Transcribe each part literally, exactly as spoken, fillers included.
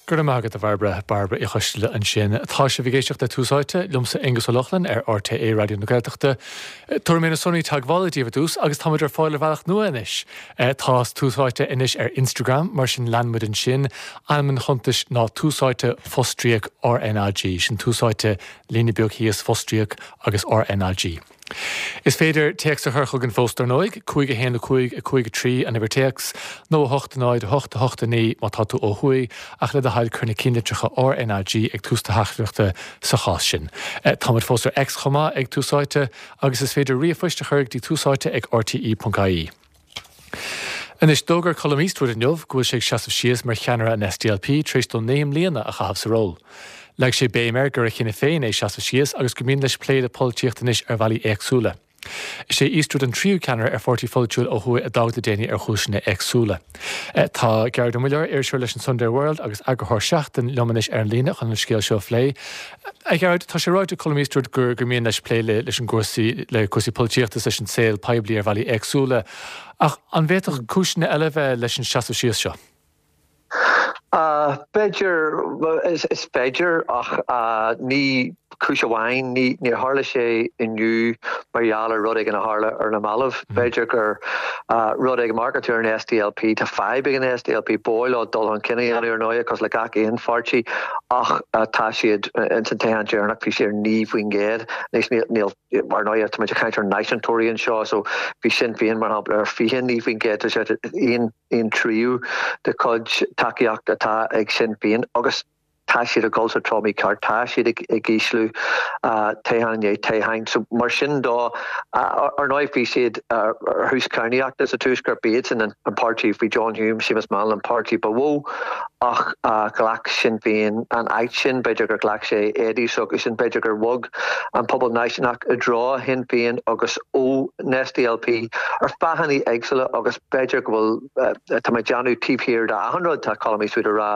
Go raibh maith agat a Bhairbre Bairbre Uí Choisteala ansin tá sibh ag éisteacht le Tús Áite liomsa Aengus Ó Lochlainn ar RTÉ Raidió na Gaeltachta. Tabharfaidh mé na sonraí teagmhála daoibh ar dtús agus táimid ar fáil ar bhealach nua anois. Tá Tús Áite anois ar Instagram mar sin lean muid ansin ainm an chuntais ná Tús Áite fostríoc RnaG sin Tús Áite líne beag thíos fostríoc agus RnaG. Is féidir téacs a chur chugainn fós ar ndóigh, cúig a haon a cúig a cúig a trí an uimhir téacs, nó a hocht náid a hocht a hocht a naoi má tá tú ó thuaidh ach le do thoil cuir na cinnlitreacha RnaG ag tús do theachtaireachta sa chás sin. Táimid fós ar X chomh maith ag Tús Áite agus is féidir ríomhphoist a chur go dtí túsáite ag RTE.ie. Anois d'fhógair Colum Eastwood inniu go bhfuil sé ag seasamh síos mar cheannaire an SDLP tar éis dó naoi mbliana a chaitheamh sa ról. Leag sé béim air gur a chinneadh féin é seasamh síos agus go mian leis plé le polaitíocht anois ar bhealaí éagsúla. Is é Eastwood an tríú ceannaire ar pháirtí pholaitiúil ó thuaidh a d'fhág le déanaí ar chúiseanna éagsúla. Tá Gearóid Ó Muilleoir iriseoir leis an Sunday World agus eagarthóir Seachtain liom anois ar an líne chun an scéal seo a phlé. A Ghearóid tá sé ráite ag Colum Eastwood gur gur mian leis plé le leis an gcúrsaí le cúrsaí polaitíochta leis an saol poiblí ar bhealaí éagsúla. Ach an bhféadfadh cúiseanna eile bheith leis an seasamh síos seo. Uh, B'fhéidir is, is féidir ach uh, ní cúis amháin ní ní tharla sé inniu mar gheall ar rud éigin a tharla ar na mallaibh. Mm. B'fhéidir gur uh, rud ag marketú an SDLP tá fadhb ag an SDLP bóil dul an cinenne ar ndóigh cosúil le gach aon pháirtí ach uh, tá siad in san toghchán deireanach bhí sé ar naoi faoin gcéad níl mar ndóigh tá caint ar náisiúntóirí anseo so bhí Sinn Féin mar shampla ar fiche naoi faoin gcéad sé aon aon tríú de chuid tacaíocht atá ag Sinn Féin agus tá siad ag dul sa treo mícheart tá siad ag ag ísliú toghchán i ndiaidh toghcháin so mar sin dó ar ndóigh bhí siad ar thús cadhnaíochta sa tuaisceart b'iad sin an páirtí faoi John Hume Seamus Mallon an páirtí ba mhó ach ghlac Sinn Féin an áit sin b'fhéidir gur ghlac sé éadaí so sin b'fhéidir gur bhog an pobal náisiúnach i dtreo Shinn Féin agus ó SDLP ar fáthanna éagsúla agus b'fhéidir go bhfuil tá mé ag déanamh taobh thiar de achan rud tá Colum Eastwood a rá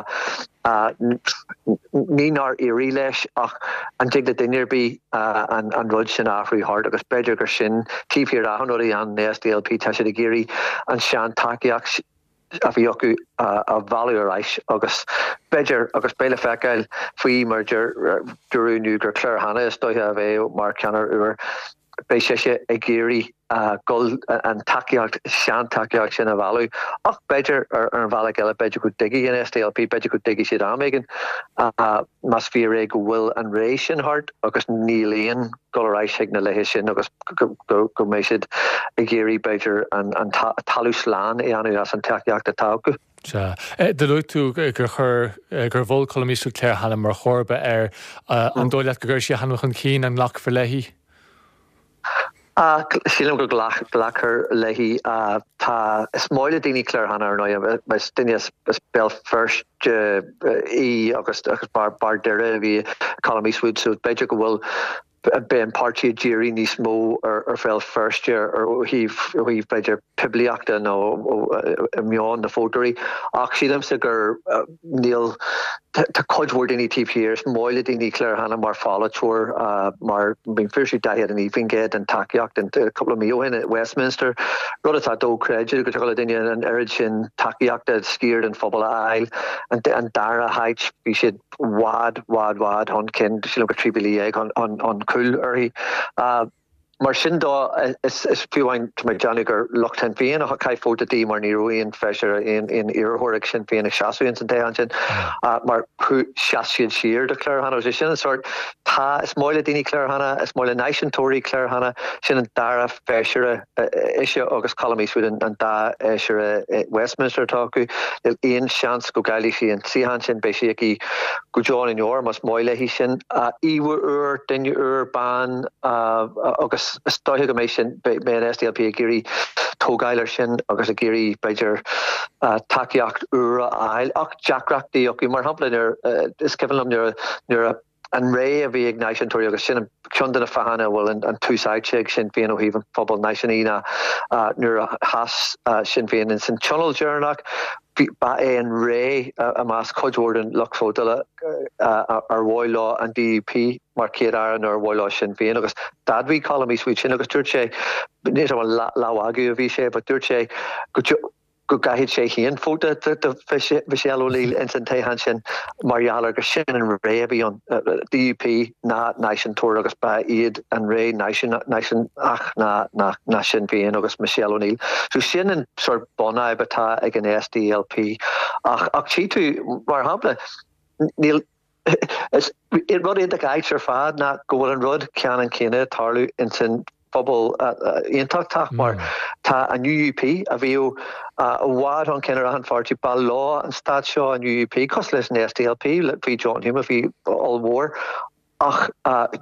ní nár éirigh leis ach an dtig le duine ar bith an, an rud sin athrú thart agus b'fhéidir gur sin taobh thiar d'achan rud an SDLP tá siad ag iarraidh an sean tacaíocht a bhí acu a bhailiú ar ais agus b'fhéidir agus beidh le feiceáil faoi mar dúradh inniu gur Claire Hanna is dóiche a bheidh mar ceannaire úr beidh sé sé ag iarraidh gul an tacaíocht sean tacaíocht sin a bhailiú ach b'fhéidir ar an bhealach eile b'fhéidir go dtuigfidh an SDLP b'fhéidir go dtuigfidh siad am éigin más fíor é go bhfuil an ré sin thart agus níl aon dul ar ais ag na laethe sin agus go mbeidh siad ag iarraidh b'fhéidir an talamh slán a dhéanamh as an tacaíocht atá acu. Sea. Do luaigh tú gur chur gur mhol Colum Eastwood Claire Hanna mar chomharba air an dóigh leat go gcuirfidh sé a hainm chun cinn an nglacfar léi? Sílim go nglacfar léi tá is maith le daoine Claire Hanna ar ndóigh is duine as Béal Feirste í agus agus bar bar Doire bhí Colum Eastwood so b'fhéidir go bhfuil beidh an páirtí ag díriú níos mó ar ar Bhéal Feirste ar ó thaobh ó thaobh b'fhéidir poiblíochta nó i meon na vótóirí ach sílimse gur níl tá cuid mhór daoine taobh thiar is maith le daoine Claire Hanna mar pholaiteoir mar bíonn fuair sí daichead a naoi faoin gcéad den tacaíocht in cúpla mí ó shin i Westminster rud atá dochreidte go dtig le duine an oiread sin tacaíochta sciar den phobal a fháil an dara háit bhí siad i bhfad bhfad bhfad chun cinn sílim go trí mhíle dhéag an cúl uirthi. Mar sin dó is is fiú amháin tá mé ag déanamh gur lucht Shinn Féin a chaith vóta di mar ní raibh aon feisire aon aon iarrthóir ag Sinn Féin ag seasamh ins an toghchán sin mar sheas siad siar do Claire Hanna. Sin an sort tá is maith le daoine Claire Hanna, is maith le náisiúntóirí Claire Hanna, sin an dara feisire ise agus Colum Eastwood an dá fheisire Westminster atá acu. Níl aon seans go gcaillfidh sí an suíochán sin beidh sí aici go deo na ndeor más maith léi sin. Íomhá úr, duine úr, bean agus is dóiche go mbeidh sin beidh an SDLP ag iarraidh tógáil ar sin agus ag iarraidh b'fhéidir tacaíocht úr a fháil ach deacrachtaí acu mar shampla nuair is cuimhin liom nuair nuair an ré a bhí ag náisiúntóirí agus sin ceann de na fáthanna a bhfuil an tús áite ag Sinn Féin ó thaobh an phobal náisiúnaí ná nuair a sheas Sinn Féin in san tionól deireanach ba é an ré i measc cuid mhór den lucht vótála ar mhaith leo an DUP mar chéad aire nó ar mhaith leo Sinn Féin agus d'admhaigh Colum Eastwood sin agus dúirt sé ní an leathmhagadh a bhí sé, but dúirt sé go go gcaithfidh sé féin vóta do Michelle O'Neill ins an toghchán sin mar gheall ar gur sin an ré a bhí ann, D U P ná náisiúntóir agus ba iad an ré náisiúnach ná ná Sinn Féin agus Michelle O'Neill. So sin an sort bunfhadhb atá ag an S D L P. Ach ach tchí tú, mar shampla, níl is rud iontach ait ar fad ná go bhfuil an rud ceannann céanna ag tarlú ins an phobal aontachtach, mar tá an U U P a bhí i bhfad chun cinn ar achan pháirtí, ba leo an stát seo, an U U P, cosúil leis an S D L P faoi John Hume a bhí ollmhór, ach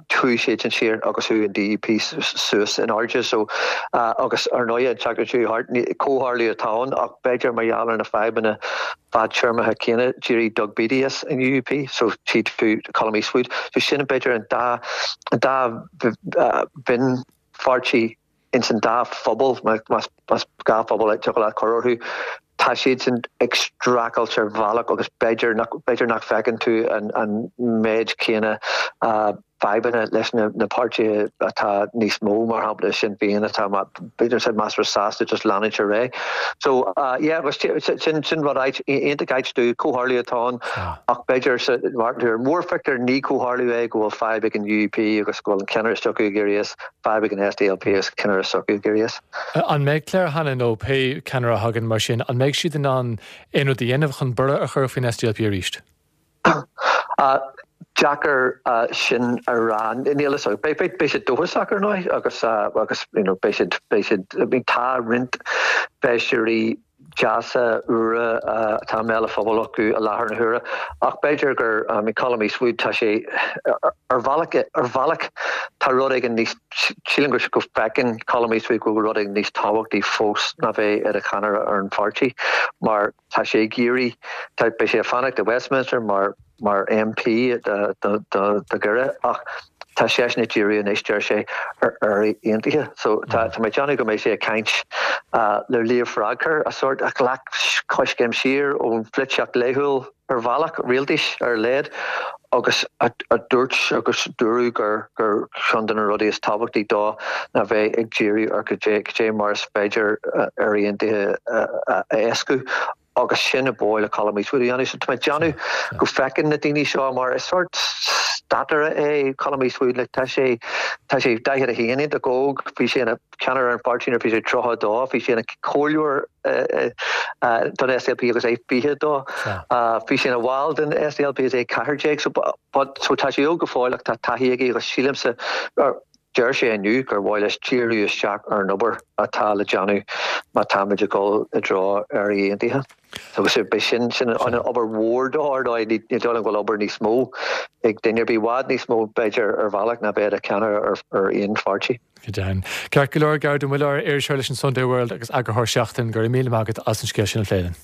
chuaigh siad sin siar agus chuaigh an D U P suas in airde. So agus ar ndóigh an tseachtain seo thart, comhtharlú atá ann, ach b'fhéidir mar gheall ar na fadhbanna fadtéarmacha céanna, d'éirigh Doug Beattie as an U U P, so tchí tú Colum Eastwood. So sin b'fhéidir an dá an dá mhionpháirtí ins an dá phobal, más dhá phobal a le cur orthu. Tá siad sin ag streachailt ar bhealach agus b'fhéidir nach b'fhéidir nach bhfeiceann tú an, an méid céanna uh, fadhbanna leis na, na páirtithe atá níos mó, mar shampla Sinn Féin, atá b'fhéidir siad measartha sásta just leanúint ar aghaidh. So uh, yeah, agus sin sin rud iontach ait do comhtharlú atá ann, ach b'fhéidir mar ar mórphictiúr ní comhtharlú é go bhfuil fadhb ag an U U P agus go bhfuil an ceannaire s'acu ag éirí as, fadhb ag an S D L P agus ceannaire s'acu ag éirí as. An mbeidh Claire Hanna nó pé ceannaire a thagann mar sin, an mbeidh siad in ann aon rud a dhéanamh chun borradh a chur faoin S D L P arís? Uh, deacair uh, sin a rá, níl a fhios. Beidh siad dóchasach ar ndóigh agus uh, agus you know, beidh siad beidh siad tá roinnt feisirí deasa úra atá mé le phobal acu i láthair na huaire, ach b'fhéidir gur um, Colum Eastwood, tá sé ar bhealach ar bhealach tá rud éigin níos, sílim gur go bhfeiceann Colum Eastwood go rud éigin níos tábhachtaí fós ná bheith ar a cheannaire ar an pháirtí, mar tá sé ag iarraidh, beidh sé ag fanacht i Westminster mar mar M P do Dhoire, ach tá sé ag díriú anois, deir sé, ar Éire aontaithe. So tá tá mé déanamh go mbeidh sé ag caint uh, le Leo Varadkar, a sort a ghlac coiscéim siar ón pholaitíocht laethúil ar bhealach rialtais ar leid agus a, a dúirt agus dúradh gur gur ceann de na rudaí is tábhachtaí dó ná bheith ag díriú ar go dé mar is féidir Éire aontaithe a éascú, agus sin a bhfuil le Colum Eastwood a dhéanamh. So tá mé déanamh go bhfeiceann na daoine seo, mar is sort stataire é Colum Eastwood, le tá sé tá sé daichead a haon, iontach óg. Bhí sé ina cheannaire ar an pháirtí bhí sé tríocha dó, bhí sé ina chomhairleoir don S D L P agus é fiche dó, bhí sé ina bhall den S D L P is é ceathair déag. So but so tá sé óg go fóill ach tá taithí aige, agus sílimse deir sé inniu gur mhaith leis díriú isteach ar an obair atá le déanamh má táimid ag dul i dtreo Éire aontaithe. Agus be sin sin an obair mhór dó ar ní dul an bhfuil obair níos mó ag duine i bhfad níos mó b'fhéidir ar bhealach ná bheith ina cheannaire ar ar aon pháirtí. Go deimhin. Ceart go leor, Gearóid Ó Muilleoir, iriseoir leis an Sunday World agus eagarthóir Seachtain, go raibh míle maith agat as an scéal sin a phlé linn.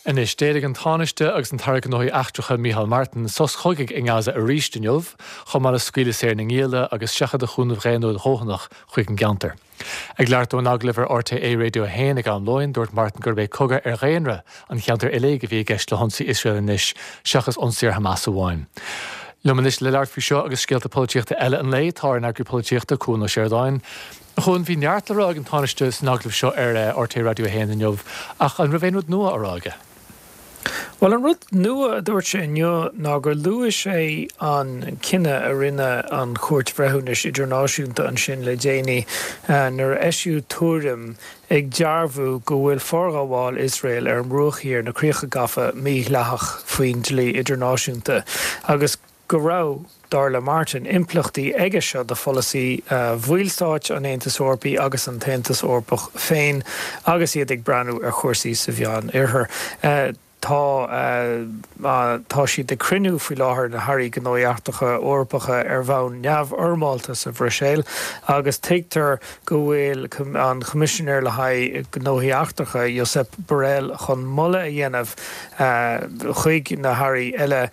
Anois, d'éiligh an Tánaiste agus an tAire Gnóthaí Eachtracha Micheál Martin sos cogaidh i nGaza arís inniu, chomh maith le scaoileadh saor na ngialla agus seachadadh chúnamh daonnúil dóthanach chuig an gceantar. Ag labhairt dó in agallamh ar R T É Radio a haon ag am lóin, dúirt Martin gurb é cogadh ar dhaonra an cheantair uilig a bhí i gceist le hionsaí Iosrael anois, seachas ionsaí ar Hamas amháin. Liom anois le labhairt faoi seo agus scéalta polaitíochta eile an lae tá ár n-eagraí polaitíochta, Cuan Ó Seireadáin. Chuan, bhí neart le rá ag an Tánaiste san agallamh seo ar R T É Radio a haon inniu, ach an raibh aon rud nua á rá aige? Well, an rud nua a dúirt sé inniu ná gur luaigh sé an cinneadh a rinne an Chúirt Bhreithiúnais Idirnáisiúnta ansin le déanaí nuair a eisíodh tuairim ag dearbhú go bhfuil forghabháil Iosrael ar an mBruach Thiar, na críocha gafa, mídhleathach faoin dlí idirnáisiúnta agus go raibh, dar le Martin, impleachtaí aige seo do pholasaí bhallstáit an Aontais Eorpaigh agus an tAontas Eorpach féin agus iad ag breathnú ar chúrsaí sa Mheánoirthear. Tá tá siad ag cruinniú faoi láthair, na hairí gnóthaí eachtracha Eorpacha, ar bhonn neamhfhoirmeálta sa Bhruiséil, agus tuigtear go bhfuil an Coimisinéir le haghaidh gnóthaí eachtracha, Josep Borrell, chun moladh a dhéanamh chuig na hairí eile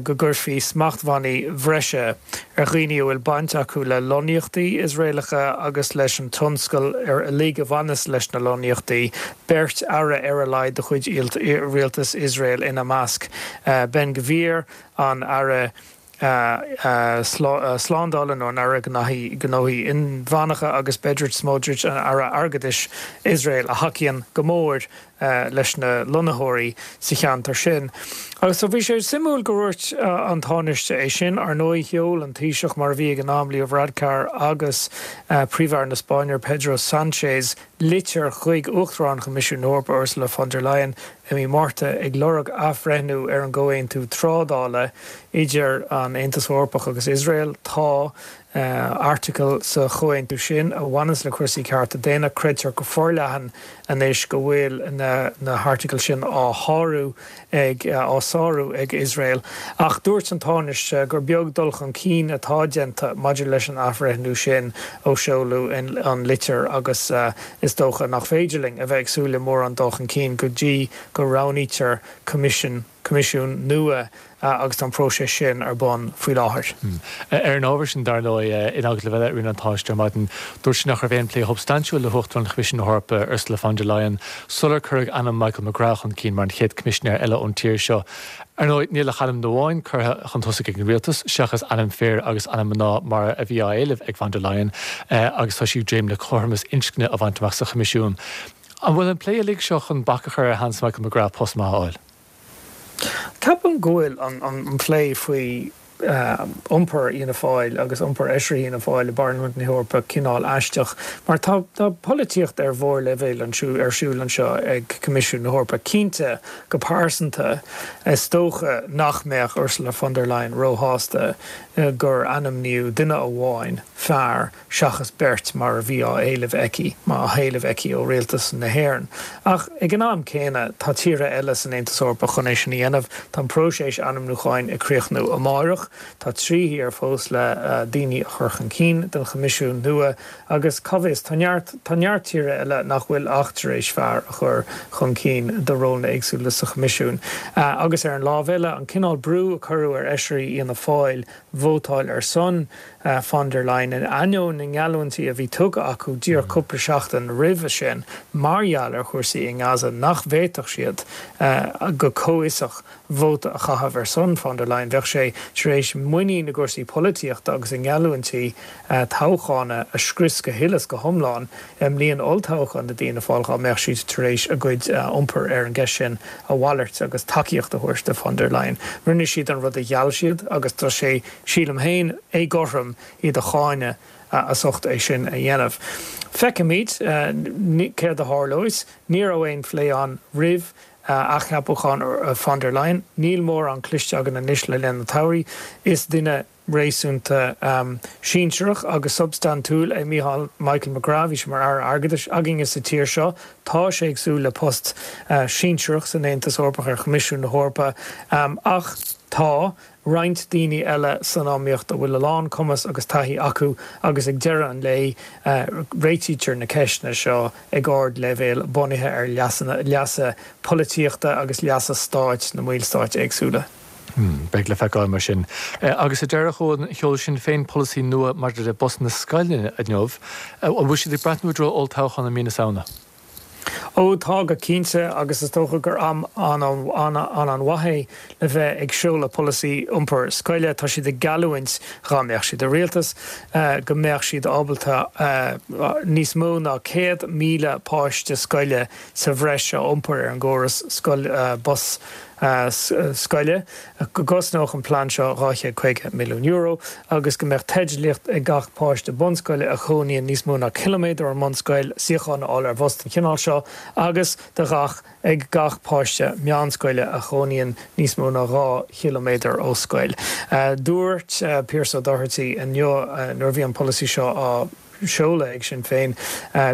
go gcuirfí smachtbhannaí breise ar dhaoine a bhfuil baint acu le lonnaíochtaí Iosraelacha agus leis an tionscal ar uilig a bhaineas leis na lonnaíochtaí, beirt aire ar a laghad de chuid rialtas Iosrael ina measc, Ben Gvir, an aire Slándála nó an Aire Gnóthaí Inmheánacha agus Bezalel Smotrich an Aire Airgeadais Iosrael a thacaíonn go mór leis na lonnaitheoirí sa cheantar sin. Agus so bhí sé suimiúil go ndúirt an Tánaiste é sin. Ar ndóigh sheol an Taoiseach mar a bhí ag an am Leo Varadkar agus Príomh-Aire na Spáinne Pedro Sánchez litir chuig Uachtarán Choimisiún na hEorpa Ursula von der Leyen i mí Márta ag lorg athbhreithniú ar an gcomhaontú trádála idir an Aontas Eorpach agus Iosrael. Tá airteagal sa chomhaontú sin a bhaineanns le cúrsaí cearta daonna. Creidtear go forleathan anois go bhfuil na na hairteagail sin á shárú ag á sárú ag Iosrael. Ach dúirt an Tánaiste gur beag dul chun cinn atá déanta maidir leis an athbhreithniú sin ó seoladh an litir agus is dócha nach féidir linn a bheith ag súil le mórán dul chun cinn go dtí go roghnaítear coimisiún coimisiún nua agus tá an próiseas sin ar bun faoi láthair. Ar an ábhar sin, dar ndóigh, in agallamh eile a rinne an Tánaiste ar maidin, dúirt sé nach raibh aon phlé shubstaintiúil le hUachtarán Choimisiún na hEorpa, Ursula von der Leyen, sular cuireadh ainm Michael McGrath chun cinn mar an chéad Choimisinéir eile ón tír seo. Ar ndóigh, níl ach ainm amháin curtha chun tosaigh ag an rialtas, seachas ainm fir agus ainm mná mar a bhí á éileamh ag von der Leyen, agus tá sí ag dréim le cothromas inscne a bhaint amach sa Choimisiún. An bhfuil an plé uilig seo chun bac a chur ar sheans Michael McGrath post maith a fháil? Ceapaim go bhfuil an plé faoi iompar Fhianna Fáil agus iompar fheisirí Fhianna Fáil i bParlaimint na hEorpa cineál aisteach mar tá tá polaitíocht ar mhórleibhéal ar siúl anseo ag Coimisiún na hEorpa. Cinnte, go pearsanta, is dócha nach mbeadh Ursula von der Leyen róshásta gur ainmníodh duine amháin, fear, seachas beirt mar a bhí á éileamh aici, á héileamh aici ó rialtas na hÉireann. Ach ag an am céanna, tá tíortha eile san Aontas Eorpach chun é sin a dhéanamh. Tá an próiseas ainmniúcháin ag críochnú amárach. Tá trí thír fós le daoine a chur chun cinn don Choimisiún nua agus cá bhfios, tá neart, tá neart tíortha eile nach bhfuil ach tar éis fear a chur chun cinn do rólanna éagsúla sa Choimisiún. Agus ar an lámh eile, an cineál brú a cuireadh ar fheisirí Fhianna Fáil vótáil ar son von der Leyen in ainneoin na ngeallúintí a bhí tugtha acu díreach cúpla seachtain roimhe sin mar gheall ar chúrsaí i nGaza nach bhféadfadh siad go comhfhiosach vóta a chaitheamh ar son von der Leyen. Bheadh sé tar éis muinín i gcúrsaí polaitíochta agus i ngeallúintí toghcháin a scrios go huile is go hiomlán i mbliain olltoghcháin do Fhianna Fáil dá mbeadh siad tar éis a gcuid iompair ar an gceist sin a mhalairt agus tacaíocht a thabhairt do von der Leyen. Rinne siad an rud a gheall siad agus tá sé, sílim féin, éagothrom iad a cháineadh as ucht é sin a dhéanamh. Feicfimid céard a tharlós. Ní raibh aon phlé ann roimh athcheapachán von der Leyen. Níl mórán cloiste againn anois le linn an tsamhraidh. Is duine réasúnta sinsearach agus substaintiúil é Mícheál Michael McGrath. Bhí sé mar Aire Airgeadais againne sa tír seo. Tá sé ag súil le post sinsearach san Aontas Eorpach ar Choimisiún na hEorpa. Ach tá roinnt daoine eile san iomaíocht a bhfuil a lán cumas agus taithí acu agus ag deireadh an lae réitítear na ceisteanna seo ag ardleibhéal bunaithe ar leasanna, leasa polaitíochta agus leasa stáit na mballstáit éagsúla. Beidh le feiceáil mar sin. Agus sa deireadh, a Chuain, sheol Sinn Féin polasaí nua maidir le busanna scoile inniu. An bhfuil siad ag breathnú i dtreo olltoghchán i mí na Samhna? Ó tá go cinnte agus is dócha gur am an-mhaith é le bheith ag seoladh polasaí iompair scoile. Tá siad ag geallúint, dhá mbeadh siad i rialtas, go mbeadh siad ábalta níos mó ná céad míle páiste scoile sa bhreis a iompar ar an gcóras bus scoile, go gcosnódh an plean seo dhá chéad caoga milliún euro agus go mbeadh teidlíocht ag gach páiste bunscoile a chónaíonn níos mó ná ciliméadar ón mbunscoil suíochán a fháil ar bhus den chineál seo agus do gach ag gach páiste meánscoile a chónaíonn níos mó ná dhá chiliméadar ó scoil. Dúirt Pearse Doherty inniu nuair a bhí an polasaí seo á seoladh ag Sinn Féin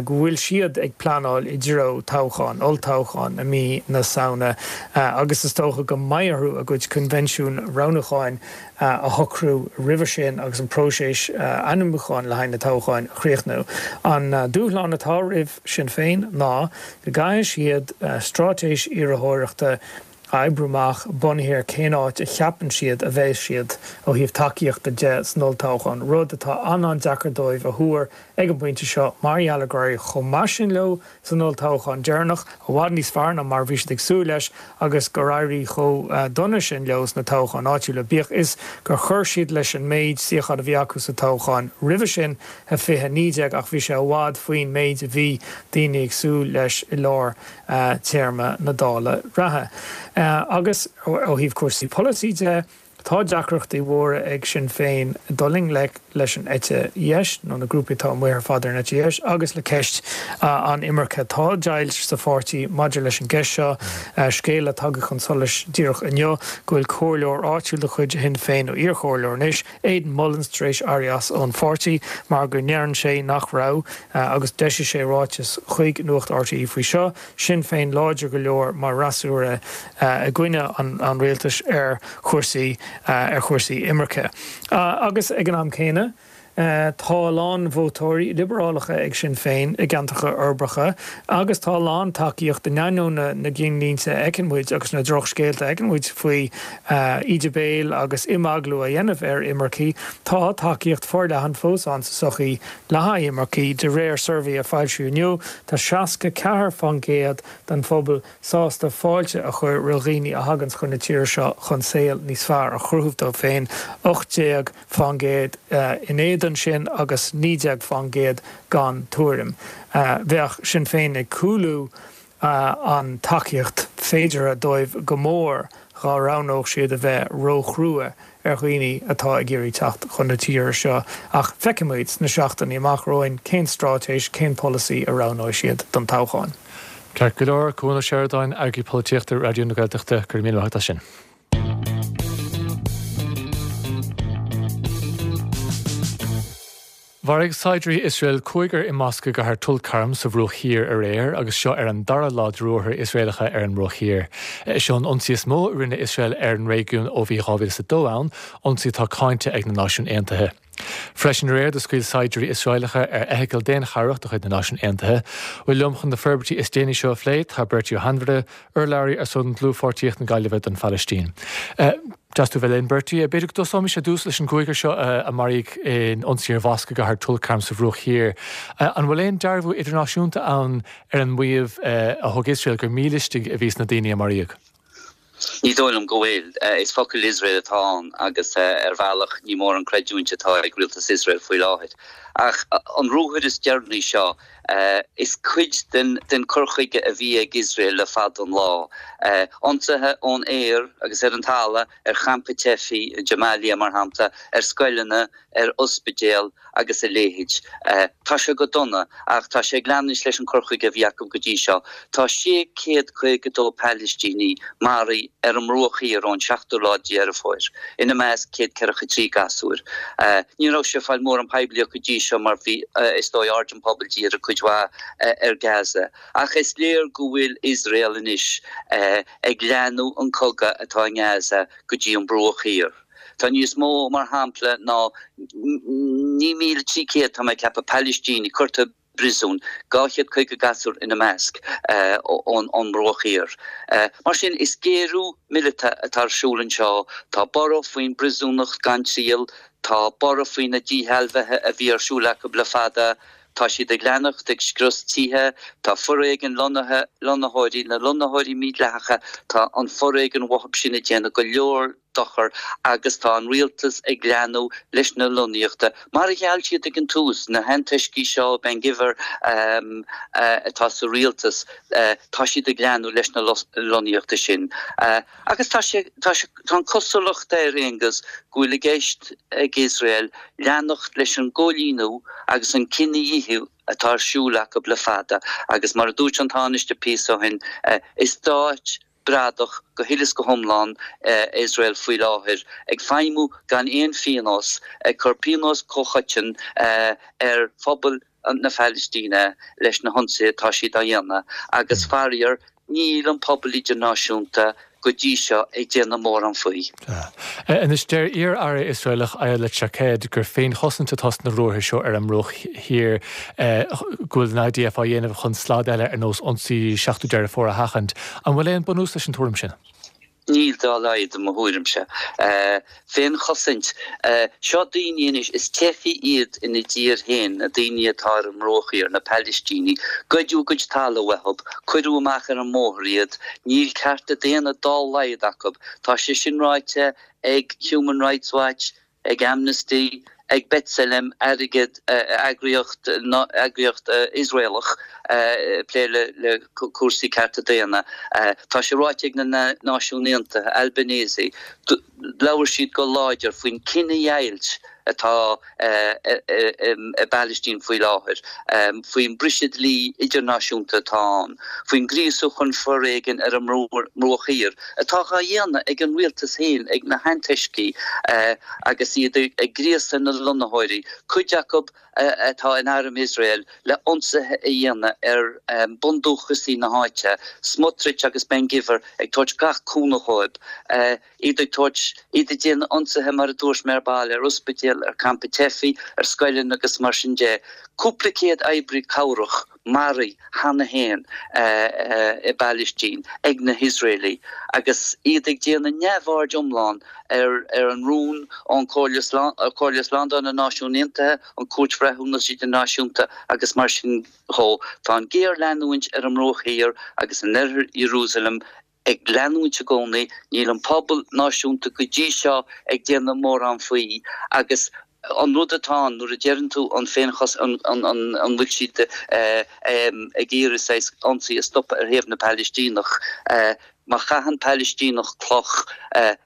go bhfuil siad ag pleanáil i dtreo toghchán, olltoghchán i mí na Samhna agus is dócha go mbeidh orthu a gcuid coinbhinsiún roghnúcháin a shocrú roimhe sin agus an próiseas ainmniúcháin le haghaidh na toghcháin a chríochnú. An dúshlán atá roimh Sinn Féin ná go gcaithfidh siad straitéis iarrthóireachta a oibriú amach bunaithe ar cén áit a cheapann siad a bheas siad ó thaobh tacaíochta de san olltoghchán, rud atá an-an-deacair dóibh a thuar ag an bpointe seo mar gheall ar gur éirigh chomh maith sin leo san olltoghchán deireanach, i bhfad níos fearr ná mar a bhí siad ag súil leis, agus gur éirigh chomh dona sin leo sna toghcháin áitiúla, bíodh is gur chuir siad leis an méid suíochán a bhí acu sa toghchán roimhe sin, fiche a naoi déag, ach bhí sé i bhfad faoin méid a bhí daoine ag súil leis i lár téarma na Dála reatha. Agus ó thaobh cúrsaí polasaí de, tá deacrachtaí mhóra ag Sinn Féin dul i ngleic leis an eite dheis, nó na grúpaí atá amuigh ar fad ar an eite dheis, agus le ceist an imirce. Tá deighilt sa pháirtí maidir leis an gceist seo, scéal atá tagtha chun solais díreach inniu, go bhfuil comhairleoir áitiúil de chuid Shinn Féin, nó iarchomhairleoir anois, Aidan Mullins, tar éis éirí as ón pháirtí mar go ndeireann sé nach raibh, agus d'eisigh sé ráiteas chuig Nuacht RTÉ faoi seo, Sinn Féin láidir go leor mar fhreasúra i gcoinne an rialtais ar chúrsaí ar chúrsaí imirce. Agus ag an am céanna, tá a lán vótóirí liobarálacha ag Sinn Féin i gceantracha uirbeacha agus tá a lán tacaíocht in ainneoin na gcinnlínte a fheiceann muid agus na drochscéalta a fheiceann muid faoi íde béil agus imeaglú a dhéanamh ar imircigh. Tá tacaíocht forleathan fós ann sa tsochaí le haghaidh imircigh. De réir suirbhé a foilsíodh inniu, tá seasca ceathair faoin gcéad den phobal sásta fáilte a chur roimh dhaoine a thaganns chun na tíre seo chun saol níos fearr a chruthú dóibh féin, ocht déag faoin gcéad in éadan sin agus naoi déag faoin gcéad gan tuairim. Bheadh Sinn Féin ag cúlú an tacaíocht féideartha dóibh go mór dhá roghnódh siad a bheith róchrua ar dhaoine atá ag iarraidh teacht chun na tíre seo ach feicfimid sna seachtainí amach romhainn cén straitéis, cén polasaí a roghnóidh siad don toghchán. Ceart go leor, Cuan Ó Seireadáin, Eagraí Polaitíochta Raidió na Gaeltachta, go raibh míle maith agat as sin. Mharaigh saighdiúirí Iosrael cúigear i mosc i gcathair Tulkarm sa Bhruach Thiar aréir agus seo ar an dara lá de ruathair Iosraelacha ar an mBruach Thiar. Seo an ionsaí is mó a rinne Iosrael ar an réigiún ó bhí dhá mhíle is a dó ann, ionsaí atá cáinte ag na Náisiúin Aontaithe. Freisin aréir do scaoil saighdiúirí Iosraelacha ar fheithicil daonchabhrach de chuid na Náisiún Aontaithe. Bhuel liom chun na forbairtí is déanaí seo a phlé tá Bertie Ó hAinmhire, urlabhraí ar son Dlúthpháirtíocht na Gaillimhe don Phalaistín. Deas tú bheith linn, Bertie. B'fhéidir go dtosóimis ar dtús leis an gcúigear seo a maraíodh in ionsaí ar mhosc i gcathair Tulkarm sa Bhruach Thiar. An bhfuil aon dearbhú idirnáisiúnta ann ar an maíomh a thug Iosrael gur mílistigh a bhí sna daoine a maraíodh? Ní dóigh liom go bhfuil. Is focal Iosrael atá ann agus ar bhealach ní mórán creidiúint atá ag rialtas Iosrael faoi láthair. Ach an ruathar is deireanaí seo, is cuid den cur chuige a bhí ag Iosrael le fada an lá. Ionsaithe ón aer agus ar an talamh ar champa teifigh i Jabalia, mar shampla, ar scoileanna, ar ospidéal agus a leithéid. Tá sé go dona ach tá sé ag leanúint leis an cur chuige a bhí acu go dtí seo. Tá sé chéad caoga dó Palaistíní maraithe ar an mBruach Thiar ón seachtú lá de Dheireadh Fómhair, ina measc céad ceathracha trí gasúr. Ní raibh sé ag fáil mórán poiblíocht go dtí seo mar bhí, is dóigh, aird an phobail dírithe cuid mhaith ar Gaza. Ach is léir go bhfuil Iosrael anois ag leathnú an cogadh atá i nGaza go dtí an Bruach Thiar. Tá níos mó, mar shampla, ná naoi míle trí chéad, tá mé ag ceapadh, Palaistínigh curtha i bpríosún, dhá chéad caoga gasúr ina measc, ón mBruach Thiar. Mar sin, is géarú míleata atá ar siúl anseo. Tá borradh faoin bpríosúnacht gan triail, tá borradh faoi na díshealbhuithe a bhí ar siúl acu le fada, tá siad ag leanacht ag scrios tithe, tá foréigean lonnaithe, lonnaitheoirí, na lonnaitheoirí mídhleathacha, tá an foréigean uathu sin ag déanamh go leor dochar agus tá an rialtas ag leanúint leis na lonnaíochta mar a gheall siad ag an tús, na hantoiscigh seo, Ben Gvir atá sa rialtas, tá siad ag leanúint leis na lonnaíochta sin. Agus tá sé, tá sé, tá an cosúlacht air, Aengus, go bhfuil i gceist ag Iosrael leanacht leis an gcoilíniú agus an cinedhíothú atá ar siúl acu le fada agus mar a dúirt an Tánaiste píosa ó shin, is stát bradach go huile is go hiomlán Iosrael faoi láthair, ag feidhmiú gan aon phionós, ag cur pionós comhchoiteann ar phobal na Palaistíne leis na hionsaithe atá siad á dhéanamh agus faraor níl an pobal idirnáisiúnta go dtí seo ag déanamh mórán faoi. Anois, deir iar-aire Iosraelach Ayelet Shaked gur féinchosaint atá sna ruathair seo ar an mBruach Thiar, go bhfuil an I D F á dhéanamh chun slad eile ar nós ionsaí seachtú Deireadh Fómhair a sheachaint. An bhfuil aon bunús leis an tuairim sin? Níl dá laghad i mo thuairimse. Féinchosaint. Seo daoine anois, is teifigh iad ina dtír féin, na daoine atá ar an mBruach Thiar, na Palaistínigh. Goideadh a gcuid talaimh uathu, cuireadh amach ar an mbóthar iad, níl cearta daonna dá laghad acu. Tá sé sin ráite ag Human Rights Watch, ag Amnesty, ag B'Tselem, airgead, eagraíocht, eagraíocht Iosraelach ag plé le cúrsaí cearta daonna. Tá sé ráite ag na Náisiúin Aontaithe, Albanese, labhair siad go láidir faoin cinedheighilt atá i bPalaistín faoi láthair, faoin briseadh dlí idirnáisiúnta atá ann, faoin ngríosú chun foréigin ar an mBruach Thiar atá á dhéanamh ag an rialtas féin, ag na hantoiscigh agus iad ag gríosadh na lonnaitheoirí, cuid acu atá in arm Iosrael, le ionsaithe a dhéanamh ar bundúchasaigh na háite, Smotrich agus Ben Gvir ag tabhairt gach cúnamh dhóibh, iad ag tabhairt, iad ag déanamh ionsaithe mar a dúirt mé ar ball, ar ospidéil, ar campa teifigh, ar scoileanna agus mar sin de. Cúpla céad oibrí cabhrach maraithe cheana féin i bPalaistín ag na hIosraelaigh agus iad ag déanamh neamhaird iomlán ar ar an rún ón Chomhairle Slándála na Náisiún Aontaithe, an Chúirt Bhreithiúnais Idirnáisiúnta agus mar sin dhó. Tá an ghéarleanúint ar an mBruach Thiar agus in oirthear Iarúsailéim ag leanúint i gcónaí, níl an pobal náisiúnta go dtí seo ag déanamh mórán faoi agus an rud atá ann nuair a deireann tú an féinchos an an bhfuil siad ag iarraidh saghas ionsaí a stopadh ar thaobh na Palaistíneach, má chaitheann Palaistíneach cloch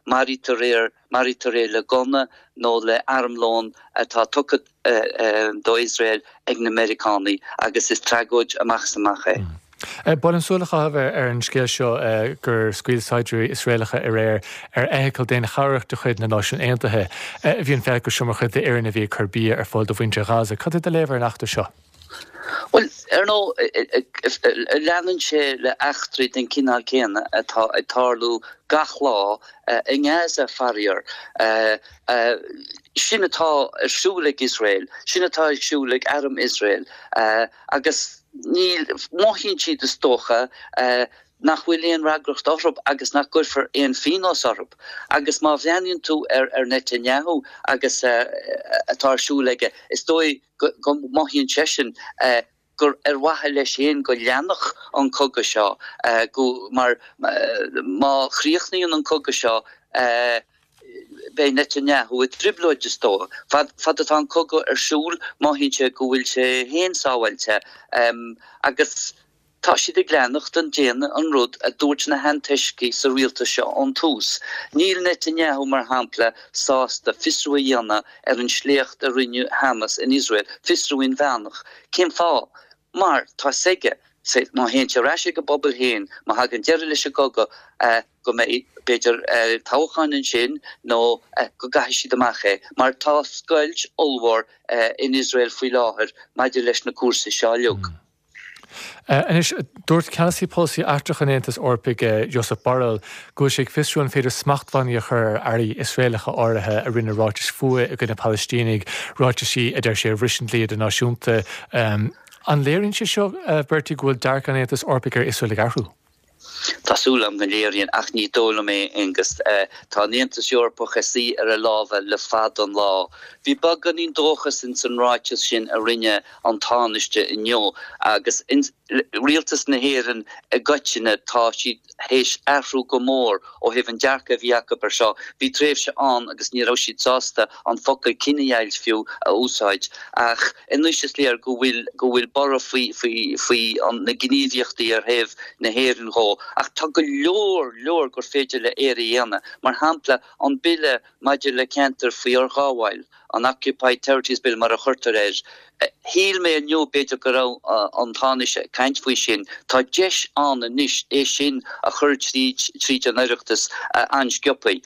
maraítear é maraítear é le gunna nó le armlón atá tugtha do Iosrael ag na Meiriceánaigh agus is tragóid amach is amach é. Ba mhaith liom súil a chaitheamh ar an scéal seo gur scaoil saighdiúirí Iosraelacha aréir ar fheithicil daonchabhrach de chuid na Náisiún Aontaithe. Bhí an feithicil seo mar chuid d'fhoireann a bhí ag cur bia ar fáil do mhuintir Ghaza. Cad é do léamh ar an eachtra seo? Bhuel, ar ndóigh, leanann sé le eachtraí den chineál céanna atá ag tarlú gach lá i nGaza, faraor. Sin atá ar siúl ag Iosrael, sin atá ar siúl ag arm Iosrael agus níl, mothaíonn siad is dócha, nach bhfuil aon fhreagracht orthu agus nach gcuirfear aon phionós orthu. Agus má bhreathnaíonn tú ar ar Netanyahu agus atá ar siúl aige, is dóigh go mothaíonn seisean gur ar mhaithe leis féin go leanfadh an cogadh seo, go, mar má chríochnaíonn an cogadh seo, beidh Netanyahu i dtrioblóid is dóigh. Fad fad atá an cogadh ar siúl, mothaíonn sé go bhfuil sé féin sábháilte agus tá siad ag leanacht ag déanamh an rud a dúirt na hantoiscigh sa rialtas seo ón tús. Níl Netanyahu, mar shampla, sásta fiosrú a dhéanamh ar an sléacht a rinne Hamas in Iosrael, fiosrú inmheánach. Cén fáth? Mar tá 'fhios aige, má théann sé ar ais ag an bpobal féin, má thagann deireadh leis an gcogadh, go mbeidh, b'fhéidir, toghchán ansin nó go gcaithfidh siad amach é. Mar tá scoilt ollmhór in Iosrael faoi láthair maidir leis na cúrsaí seo uilig. Anois, dúirt ceannasaí polasaí eachtrach an Aontais Eorpaigh, Josep Borrell, go bhfuil sé ag fiosrú an féidir smachtbhannaí a chur ar airí Iosraelacha áirithe a rinne ráitis fuatha i gcoinne Palaistínigh, ráitisí a deir sé a bhris an dlí idirnáisiúnta. An léiríonn sé seo, Bertie, go bhfuil dearcadh an Aontais Eorpaigh ar Iosrael ag athrú? Tá súil agam go léiríonn, ach ní dóigh liom é, Aengus. Tá an Aontas Eorpach ag suí ar a lámha le fada an lá. Bhí beagáinín dóchas ins an ráiteas sin a rinne an Tánaiste inniu agus rialtas na hÉireann i gcoitinne, tá siad théis athrú go mór ó thaobh an dearcadh a bhí acu ar seo. Bhí tréimhse ann agus ní raibh siad sásta an focal cinedheighilt fiú a úsáid ach anois is léir go bhfuil go bhfuil borradh faoi faoi faoi na gníomhaíochtaí ar thaobh na hÉireann dhó. Ach tá go leor leor gur féidir le Éire a dhéanamh. Mar shampla, an Bille maidir le Ceantair faoi Fhorghabháil, an Occupied Territories Bill mar a chuirtear air. Shíl mé inniu b'fhéidir go raibh an Tánaiste ag caint faoi sin. Tá deis ann anois é sin a chur tríd tríd an Oireachtas an-sciobtha.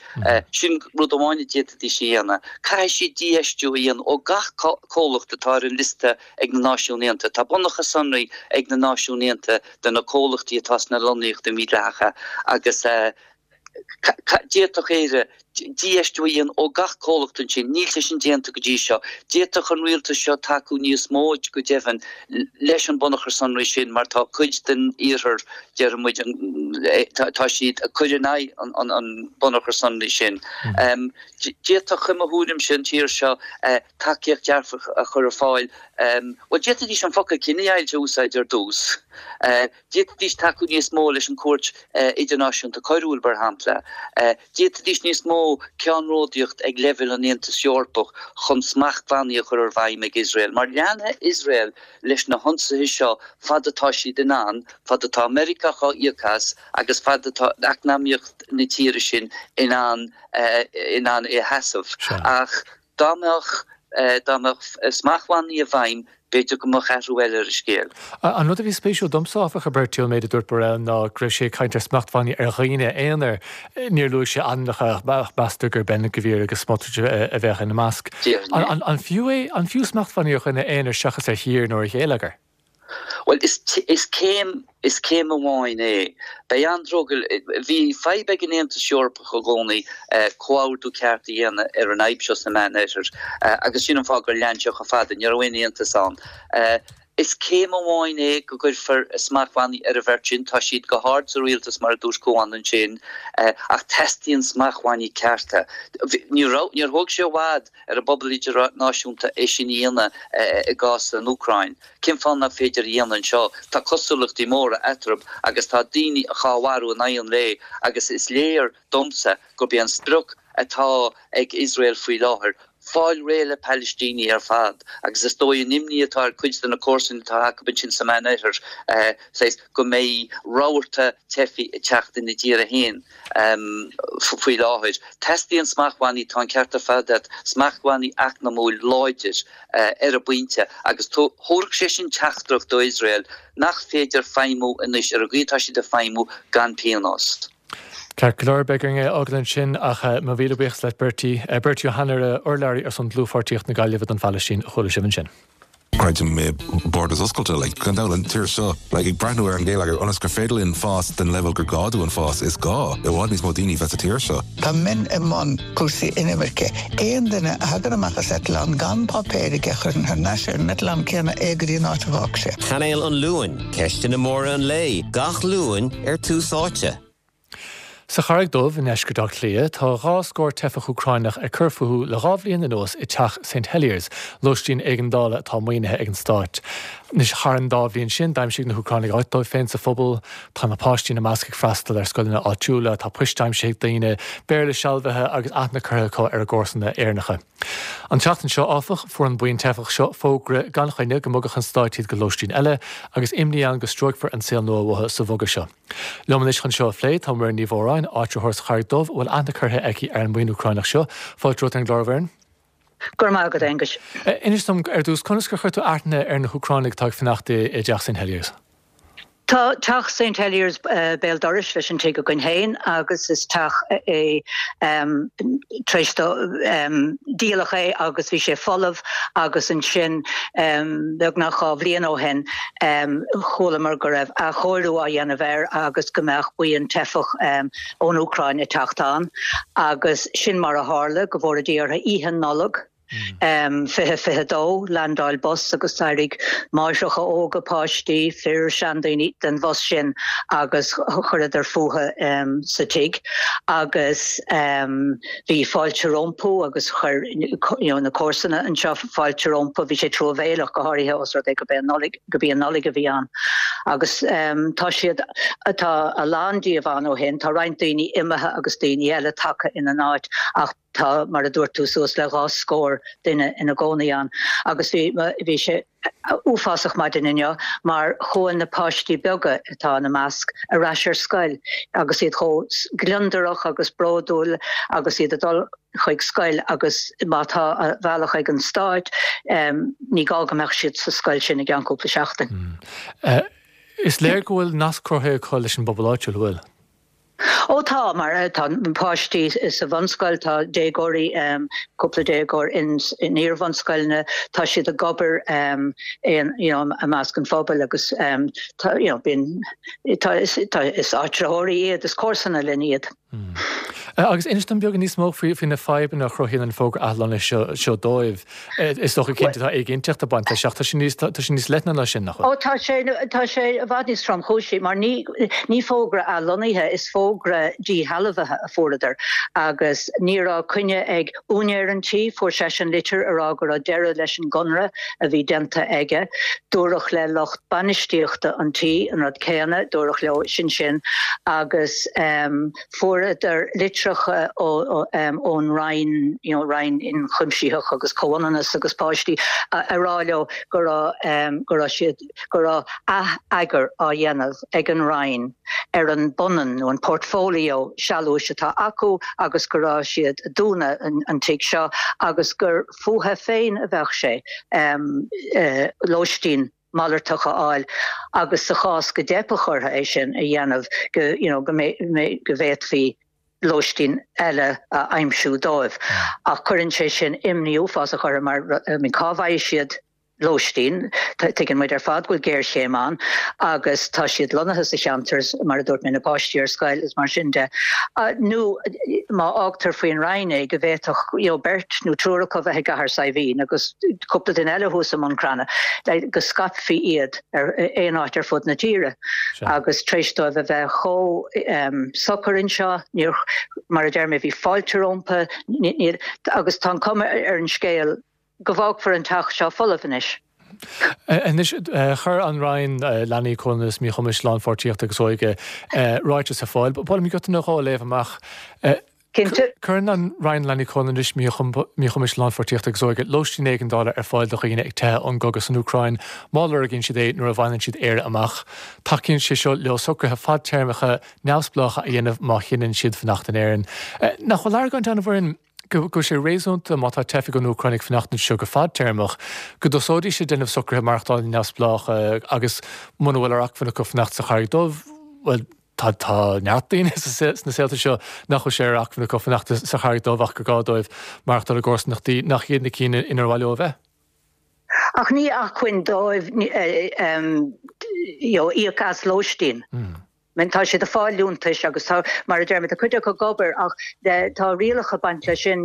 Sin rud amháin a d'fhéadfaidís a dhéanamh. Caithfidh siad dífheistiú a dhéanamh ó gach comhlacht atá ar an liosta ag na Náisiúin Aontaithe. Tá bunachar sonraí ag na Náisiúin Aontaithe de na comhlachtaí atá sna lonnaíochtaí mídhleathacha agus d'fhéadfadh Éire Dífheistiú a dhéanamh ó gach comhlacht ansin, níl sé sin déanta go dtí seo. D'fhéadfadh an rialtas seo tacú níos mó, go deimhin, leis an bunachar sonraí sin mar tá cuid den iarthar, déarfaidh muid, tá siad ag cur in aghaidh an bunachar sonraí sin. D'fhéadfadh, i mo thuairimse, an tír seo tacaíocht dearfach a chur ar fáil. Bhuel, d'fhéadfaidís an focal cinedheighilt a úsáid ar dtús. D'fhéadfaidís tacú níos mó leis an Chúirt Idirnáisiúnta Coiriúil, mar shampla. D'fhéadfaidís níos mó ceannródaíocht ag leibhéal an Aontais Eorpaigh chun smachtbhannaí a chur ar bhfeidhm ag Iosrael, mar leanfaidh Iosrael leis na hionsaithe seo fad atá siad in ann, fad atá Meiriceá á íoc as agus fad atá eacnamaíocht na tíre sin in ann in ann é a sheasamh. Ach dá mbeadh dá mbeadh smachtbhannaí i bhfeidhm, b'fhéidir go mbeadh athrú eile ar an scéal. An rud a bhí spéisiúil domsa, áfach, a Bertie, ón méid a dúirt Borrell ná go raibh sé ag caint ar smachtbhannaí ar dhaoine aonair. Níor luaigh sé ainmneacha ach meastar gur Ben Gvir agus Smotrich a bheadh ina measc. An fiú é, an fiú smachtbhannaí ar dhuine aonair seachas ar thír nó ar gheilleagar? Bhuel, is, is céim, is céim amháin é. Beidh an-drogall, bhí fadhb ag an Aontas Eorpach i gcónaí comhordú ceart a dhéanamh ar an fhadhb seo sa Meánoirthear agus sin an fáth gur lean sé chomh fada, ní raibh aon aontas ann. Is céim amháin é go gcuirfear smachtbhannaí ar an bheirt sin, tá siad go hard sa rialtas mar a dúirt Cuan ansin, ach teastaíonn smachtbhannaí cearta. Ní raibh, níor thóg sé i bhfad ar an bpobal idirnáisiúnta é sin a dhéanamh i gcás an Úcráin. Cén fáth nach féidir a dhéanamh anseo? Tá cosúlachtaí móra eatarthu agus tá daoine á mharú in aghaidh an lae agus is léir domsa gurb é an sprioc atá ag Iosrael faoi láthair fáil réidh le Palaistínigh ar fad agus is dóigh an imní atá ar cuid de na comharsana atá acu ansin sa Meánoirthear, saghas, go mbeidh rabharta teifigh ag teacht ina dtír féin faoi láthair. Teastaíonn smachtbhannaí, tá an ceart ar fad agat, smachtbhannaí eacnamúil láidir ar an bpointe agus thabharfadh sé sin teachtaireacht do Iosrael nach féidir feidhmiú anois ar an gcaoi atá siad ag feidhmiú gan pionós. Ceart go leor, beidh orainn é a fhágáil ansin ach mo mhíle buíochas leat Bertie. Bertie Ó hAinnaire, urlabhraí ar son Dlúthpháirtíocht na Gaillimhe don Phalaistín a chuala sibh ansin. Creidim i borders oscailte, like, gan dabht an tír seo, like, ag breathnú ar an gheilleagar ionas gur féidir linn fás den leibhéal gur gá dúinn fás, is gá i bhfad níos mó daoine bheith sa tír seo. Tá mé i mbun cúrsaí inimirce. Aon duine a thagann amach as eitleán gan páipéir aige chuirfinn thar n-ais ar an eitleán céanna é go dtí an áit a bhfág sé. Cainéal an Luain, ceisteanna móra an lae, gach Luan ar Tús Áite. Sa Charraig Dhubh i ndeisceart Átha Cliath, tá dhá scór teifeach Úcráineach ag cur fúthu le dhá bhliain anuas i dteach Saint Heliers, lóistín éigeandála atá maoinithe ag an stát. Anois, thar an dá bhliain sin, d'aimsigh na hÚcránaigh áit dóibh féin sa phobal. Tá na páistí ina measc ag freastal ar scoileanna áitiúla, tá poist aimsithe ag daoine, Béarla sealbhaithe agus aithne curtha acu ar a gcomharsana Éireannacha. An tseachtain seo, áfach, fuair an buíon teifeach seo fógra gan choinne go mbogfadh an stát iad go lóistín eile agus imní ann go stróicfear an saol nua uathu sa bhogadh seo. Liom anois chun seo a phlé tá Muireann Ní Mhóráin, áitritheoir sa Charraig Dhubh a bhfuil aithne curtha aici ar an mbuíon Úcráineach seo. Fáilte romhat ar an gclár, a Mhuireann. Go raibh maith agat, Aengus. Inis dom ar dtús, conas gur chuir tú aithne ar na hÚcránaigh atá ag fanacht i dteach Saint Heliers? Tá teach Saint Heliers béal dorais leis an tigh againn féin agus is teach é tar éis dó díoladh é agus bhí sé folamh agus ansin beagnach dhá bhliain ó shin chualamar go raibh athchóiriú á dhéanamh air agus go mbeadh buíon teifeach ón Úcráin ag teacht ann agus sin mar a tharla, go bhfóire Dia orthu oíche Nollag. fiche fiche dó, Landáil bus agus d'éirigh máithreacha óga, páistí, fir, seandaoine den bhus sin agus chuireadar fúthu sa tigh agus bhí fáilte rompu agus chuir you know na comharsana anseo fáilte rompu. Bhí sé truamhéileach go háirithe os rud é go b'é an Nollaig, go b'í an Nollaig a bhí ann agus tá siad, tá a lán díobh ann ó shin, tá roinnt daoine imithe agus daoine eile tagtha ina n-áit ach Tá, mar a dúirt tú, suas le dhá scór duine ina gcónaí ann agus bhí, bhí sé uafásach maidin inniu mar chuaigh na páistí beaga atá ina measc ar ais ar scoil agus iad chomh gliondarach agus bródúil agus iad ag dul chuig scoil agus má tá a bhealach ag an stát ní gá go mbeadh siad sa scoil sin i gceann cúpla seachtain. Is léir go bhfuil nasc cruthaithe acu leis an bpobal áitiúil, an bhfuil? Ó tá mar tá páistí sa bhunscoil tá déagóirí um, cúpla déagóir in in iarbhunscoileanna tá siad ag obair um, in you know, i measc an phobail agus um, tá you know, bíonn tá is, tá, is áitritheoirí iad is comharsana linn iad. Mm. Agus inis dom beagán níos mó faoi faoi na fadhbanna a chruthaíonn an fógra athlonnaithe seo seo dóibh. Is dócha cinnte tá éiginnteacht ag baint leis ach tá sé níos tá sé níos leithne ná sin nach Ó tá sé tá sé i bhfad níos tromchúisí mar ní ní fógra athlonnaithe is fógra díshealbhaithe a fuaireadar agus ní raibh coinne ag úinéir an tí fuair seisean litir a rá go raibh deireadh leis an gconradh a bhí déanta aige dúradh le lucht bainistíochta an tí an rud céanna dúradh leo sin sin agus um, fuaireadar litreacha ón Roinn you know, Roinn Ionchuimsitheach agus Comhionannas agus Páistí a rá leo go raibh go raibh siad go raibh atheagar á dhéanamh ag an Roinn ar an bpunann nó an portfolio sealúchais atá acu agus go raibh siad ag dúnadh an, an tigh seo agus gur fúthu féin a bheadh sé um, uh, lóistín malartach a fháil agus sa chás go dteipfeadh orthu é sin a dhéanamh go you know, go go bhféadfaí lóistín eile a aimsiú dóibh. Ach cuireann sé sin imní uafásach orthu mar I mean, cá bhfaighidh siad lóistín tuigeann muid ar fad go bhfuil géarchéim ann agus tá siad lonnaithe sa cheantar mar a dúirt mé na páistí ar scoil is mar sin de. Uh, nó má fhágtar faoin Roinn é go bhféadfadh you know, beirt nó triúr acu bheith i gCathair Saidhbhín agus cúpla duine eile thuas i mBun Cranncha le go scaipfí iad ar aon áit ar fud na tíre agus tar éis dóibh a bheith chomh um, socair anseo níor mar a deir mé bhí fáilte rompu agus tá an cuma ar an scéal go bhfágfar an teach seo folamh anois. Anois chuir an Roinn Leanaí Comhionannas Míchumais Lánpháirtíochta agus Óige ráiteas ar fáil, Ba mhaith liom giota nó dhó a léamh amach. Cinnte. Cuireann an Roinn Leanaí Comhionannais Míchumais Lánpháirtíochta agus Óige lóistín éigeandála ar fáil do dhaoine ag teitheadh ón gcogadh san Úcráin má lorgaíonn siad é nuair a bhaineann siad Éire amach. Tacaíonn sé seo leo socruithe fadtéarmacha neamhspleácha a dhéanamh má chinneann siad fanacht in Éirinn. Nach bhfuil argóint ann a Mhuireann go bhfuil sé réasúnta má tá teifigh ón Úcráin ag fanacht anseo go fadtéarmach, go dtosóidís ag déanamh socruithe maireachtála neamhspleácha agus muna bhfuil ar acmhainn acu fanacht sa Charraig Dhubh, bhuel tá tá neart daoine sna saolta seo nach bhfuil sé ar acmhainn acu fanacht sa Charraig Dhubh ach gur gá dóibh maireachtáil i gcomharsanachtaí nach iad na cinn inar mhaith leo a bheith. Ach ní acmhainn dóibh íoc as lóistín. Mm. Men tá siad ag fáil liúntais agus tá mar a deir mé tá cuid acu ag obair ach tá rialacha ag baint leis sin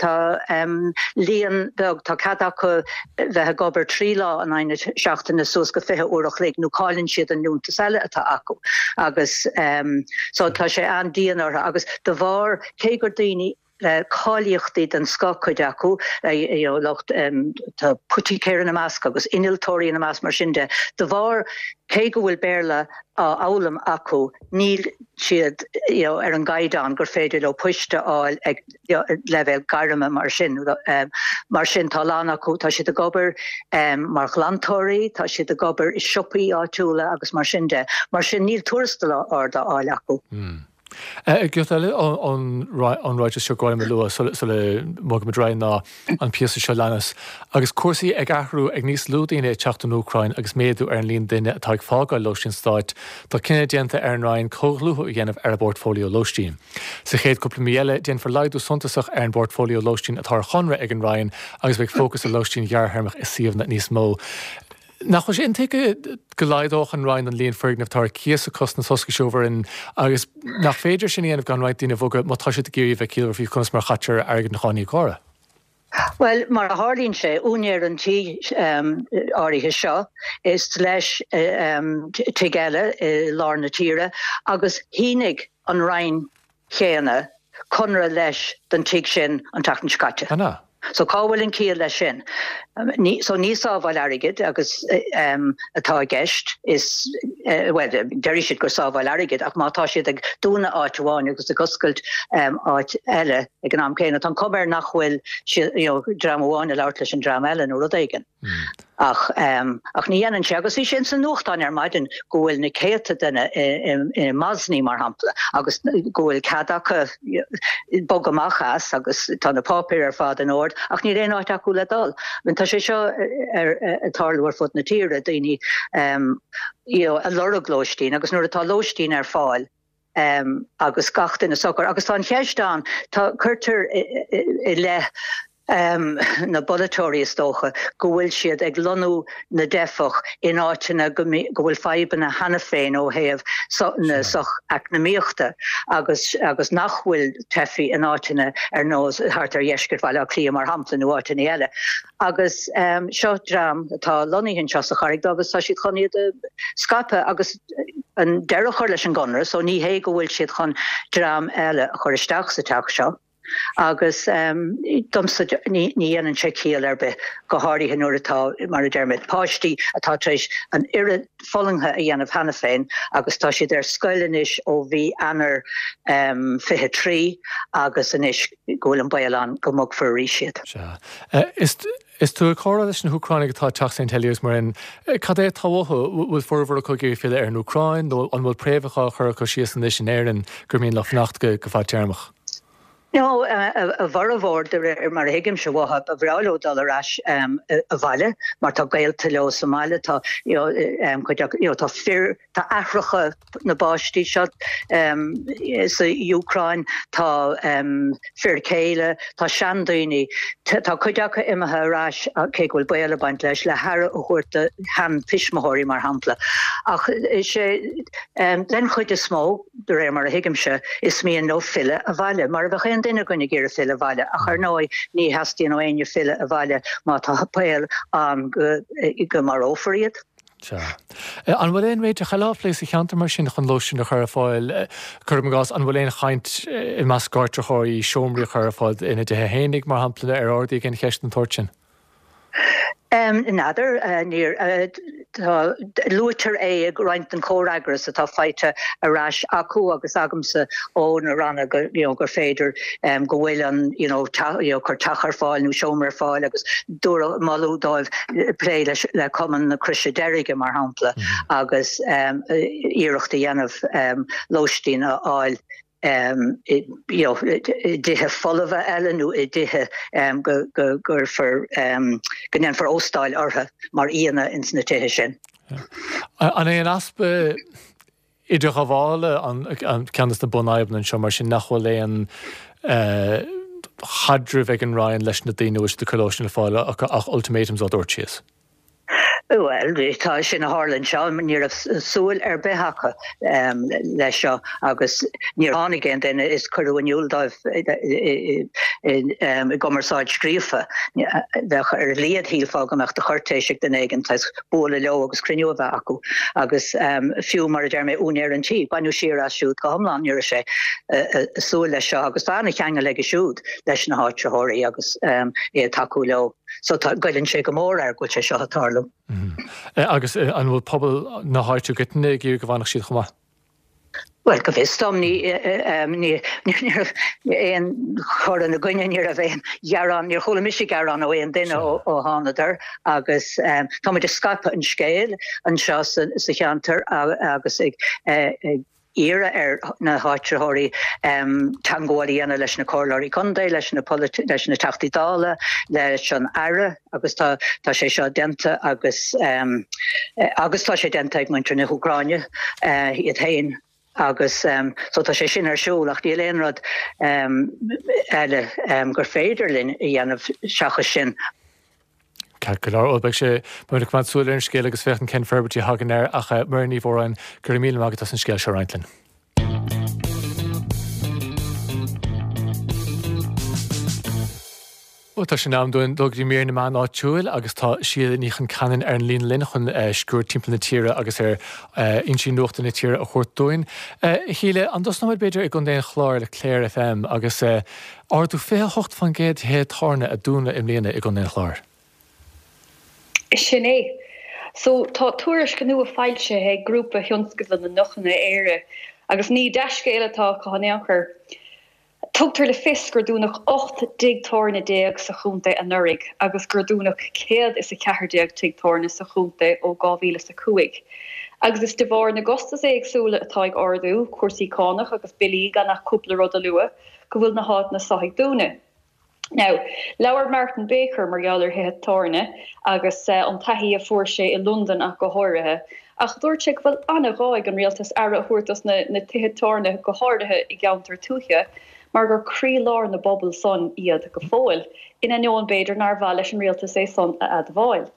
tá um, líon beag tá cead acu bheith ag obair trí lá in aghaidh na seachtaine suas go fiche uair a chloig nó cailleann siad an liúntas eile atá acu agus um, so tá sé an-dian orthu agus de bharr cé gur daoine le cáilíochtaí den scoth cuid acu you know, lucht um, tá poiticéir ina measc agus innealtóirí ina measc mar sin de. De bharr cé go bhfuil Béarla á fhoghlaim acu níl siad you know, ar an gcaighdeán gur féidir leo poist a fháil ag you know, leibhéal gairme mar sin. Um, mar sin tá lán acu tá siad ag obair um, mar ghlantóirí, tá siad ag obair i siopaí áitiúla agus mar sin de. Mar sin níl tuarastal ard á fháil acu. Mm. Giota eile ón ráiteas seo gur mhaith liom a lua sula mbogaimid ar aghaidh ná an píosa seo leanas. Agus cúrsaí ag athrú ag níos lú daoine ag teacht ón Úcráin agus méadú ar an líon duine atá ag fágáil lóistín stáit, tá cinneadh déanta ar an Roinn comhdhlúthú a dhéanamh ar an bportfóilió lóistín. Sa chéad cúpla mí eile déanfar laghdú suntasach ar an bportfóilió lóistín atá ar chonradh ag an Roinn agus beidh fócas ar lóistín ghearrthéarmach i suíomhanna níos mó. Nach bhfuil sé intuigthe go laghdódh an Roinn an líon foirgneamh atá ar cíos acu sna tosca seo in agus nach féidir sin a dhéanamh gan roinnt daoine a bhogadh má tá siad ag iarraidh bheith ciallmhar faoi conas mar a chaitear airgead na cáiníocóra. Well, mar a tharlaíonn sé úinéir an tí um, áirithe seo is leis um, tigh eile i lár na tíre agus shínigh an Roinn chéanna conradh leis don tigh sin an tseachtain seo caite. Anna. So cá bhfuil an ciall leis sin? Ní, so ní sábháil airgid agus um, atá i gceist is uh, well, deir siad gur sábháil airgid ach má tá siad ag dúnadh áit amháin agus ag oscailt um, áit eile ag an am céanna. Tá an chuma air nach bhfuil you know, dream amháin ag labhairt leis an dream eile nó rud éigin. Mm. Ach, um, ach ní dhéanann sé agus bhí sin sa nuachtán ar maidin go bhfuil na céadta duine i Mosney mar shampla agus go bhfuil cead acu bogadh amach as agus tá na páipéir ar fad in ord ach níl aon áit acu le dul. Tá sé seo ar tarlú ar fud na tíre daoine um, you know, ag lorg lóistín agus nuair atá lóistín ar fáil agus gach duine socair. Agus tá an cheist ann, tá, cuirtear i leith na bpolaiteoirí is dócha go bhfuil siad ag lonnú na dteifeach in áiteanna go bhfuil fadhbanna cheana féin ó thaobh na socheacnamaíochta agus agus nach bhfuil teifigh in áiteanna ar nós thart ar dheisceart Bhaile Átha Cliath mar shampla nó áiteanna eile. Agus seo dream atá lonnaithe anseo sa Charraig Dhubh agus tá siad chun iad a scaipeadh agus an deireadh a chur leis an gconradh so ní hé go bhfuil siad chun dream eile a chur isteach sa teach seo. Agus domsa ní dhéanann sé ciall ar bith, go háirithe nuair atá, mar a deir mé, páistí atá tar éis an oiread fulaingthe a dhéanamh cheana féin agus tá siad ar scoil anois ó mhí Eanáir fiche trí agus anois go bhfuil an baol ann go mbogfar arís iad. Sea. Is Is tú ag comhrá leis na hÚcránaigh atá ag teacht Saint Heliers mar sin, cad é atá uathu? Bhfuil formhór acu ag iarraidh filleadh ar an Úcráin nó an bhfuil préamhacha á chur acu síos anois in Éirinn gur mian leo fanacht go fadtéarmach? No, a bhformhór, de réir mar a thuigimse uathu, ba bhreá leo dul ar ais abhaile mar tá gaolta leo sa mbaile, tá you know cuid acu, you know tá fir, tá aithreacha na bpáistí seo sa Úcráin, tá fir céile, tá seandaoine, tá cuid acu imithe ar ais, cé go bhfuil baol ag baint leis, le haire a thabhairt do sheantuismitheoirí mar shampla. Ach is é den chuid is mó, de réir mar a thuigimse, is mian leo filleadh abhaile, mar a bheadh aon duine againn ag iarraidh filleadh abhaile, ach ar ndóigh ní theastaíonn ó éinne filleadh abhaile má tá baol ann go marófar iad. Sea. An bhfuil aon réiteach eile á phlé sa cheantar mar sin chun lóistín a chur ar fáil? Cuirim i gcás, an bhfuil aon chaint i measc áitritheoirí seomraí a chur ar fáil ina dtithe fhéinig, mar shampla, ar ardaíodh aon cheist den tsórt sin? N'fheadar, níor, tá, luaitear é i roinnt den chomhfhreagras atá faighte ar ais acu agus agamsa ó na ranna go, you know, gur féidir go bhfuil an, you know, teach, you know, cur teach ar fáil nó seomra ar fáil agus dúradh, moladh dóibh plé leis, le Cumann na Croise Deirge mar shampla agus iarracht a dhéanamh lóistín a fháil. i dtithe folmha eile nó i dtithe go gcuirfear, go ndéanfar óstáil orthu mar aíonna ins na tithe sin. An é an easpa idirghabhála an ceann de na bunfhadhbanna anseo mar sin nach bhfuil aon chaidreamh ag an Roinn leis na daoine a bhfuil siad ag cur lóistín ar fáil ach ultimatums á dtabhairt síos? Bhuel, tá sin a tharla anseo, ní raibh súil ar bith acu leis seo agus níor tháinig aon duine is cuireadh in iúl dóibh i gcumarsáid scríofa. Bheadh ar a laghad shílfeá go mbeadh de chúirtéis ag duine éigin saghas bualadh leo agus cruinniú a bheith acu agus fiú mar a deir mé úinéir an tí, baineadh siar as siúd go hiomlán, ní raibh sé ag súil leis seo agus tá an-cheangal aige siúd leis na háitritheoirí agus é ag tacú leo. So tá, goilleann sé go mór air go bhfuil sé seo ag tarlú. Agus an bhfuil pobal na háite i gcoitinne ag iarraidh go bhfanfadh siad chomh maith? Bhuel, go bhfios dom, ní, ní, ní raibh aon chur ina gcoinne, ní raibh aon ghearán, níor chuala mise gearán ó aon duine ó, ó thánadar agus tá muid ag scaipeadh an scéil anseo sa, sa cheantar agus ag, ag iarraidh ar na háitritheoirí teagmháil a dhéanamh leis na comhairleoirí contae, leis na leis na Teachtaí Dála, leis an Aire agus tá tá sé seo déanta agus agus tá sé déanta ag muintir na hÚcráine iad féin agus so tá sé sin ar siúl ach níl aon rud eile gur féidir linn a dhéanamh seachas sin. Ceart go leor, bhuel beidh sé, beimid ag coimeád súil ar an scéal agus féachaint cén forbairtí a thagann air ach Muireann Ní Mhóráin, go raibh míle maith agat as an scéal seo a roinnt linn. Bhuel, tá sé in am dúinn dul go dtí mír na meán áitiúil agus tá Síle Ní Chonceanainn ar an líne linn chun sciuird timpeall na tíre agus ar fhoinsí nuachta na tíre a thabhairt dúinn. A Shíle, an dtosnóimid b'fhéidir i gContae an Chláir le Clare FM agus ardú fiche a hocht faoin gcéad de thithe tábhairne a dúnadh i mbliana i gContae an Chláir. Sin é. So, tá tuairisc nua foilsithe ag Grúpa Thionscadal na nDeochanna Éire agus ní dea-scéal atá acu in aon chor. Tugtar le fios gur dúnadh ocht dtigh tábhairne déag sa chontae anuraidh agus gur dúnadh céad is a ceathair déag tigh tábhairne sa chontae ó dhá mhíle is a cúig. Agus is de bharr na gcostas éagsúla atá ag ardú, cúrsaí cánach agus billí gan ach cúpla rud a lua, go bhfuil na háiteanna seo ag dúnadh. Now, labhair Martin Baker mar gheall ar thithe tábhairne agus an taithí a fuair sé i Londain ach go háirithe, Ach dúirt sé go bhfuil an-ghá ag an rialtas aire a thabhairt dos na na tithe tábhairne, go háirithe i gceantair tuaithe, mar gur croílár na bpobal san iad go fóill, in ainneoin b'fhéidir nár mhaith leis an rialtas é san a admháil.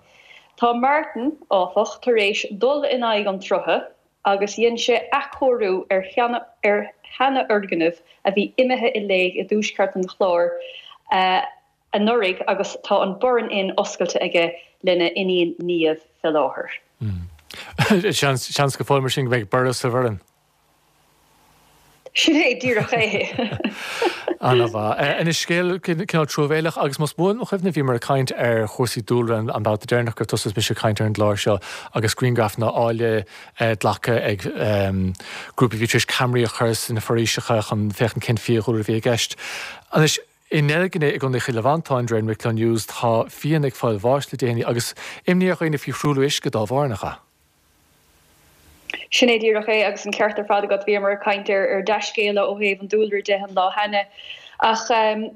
Tá Martin, áfach, tar éis dul in aghaidh an tsrutha agus dhein sé athchóiriú ar ar sheanfhoirgneamh a bhí imithe i léig i dtuaisceart an Chláir anuraidh agus tá an Burren Inn oscailte aige lena iníon Niamh fé láthair. Seans go fóill mar sin go mbeidh borradh sa Bhoireann. Sin é díreach é. An-mhaith. Anois scéal cineál truamhéileach agus más buan mo chuimhne bhíomar ag caint ar chúrsaí dúlra an babhta deireanach gur tusa is mise ag caint ar an gclár seo agus grianghrafanna áille glactha ag grúpa a bhí tar éis ceamaraí a chur sna foraoiseacha chun féachaint cén fiadhúlra a bhí i gceist. Anois i nDeilgne i gContae Chill Mhantáin, de réir an Wicklow News, tá fianna ag fáil bháis le déanaí agus imní ar dhaoine faoi thruailliú uisce dá bharr, nach ea? Sin é díreach é agus an ceart ar fad agat, bhíomar ag caint ar ar dea-scéala ó thaobh an dúlra de an lá cheana. Ach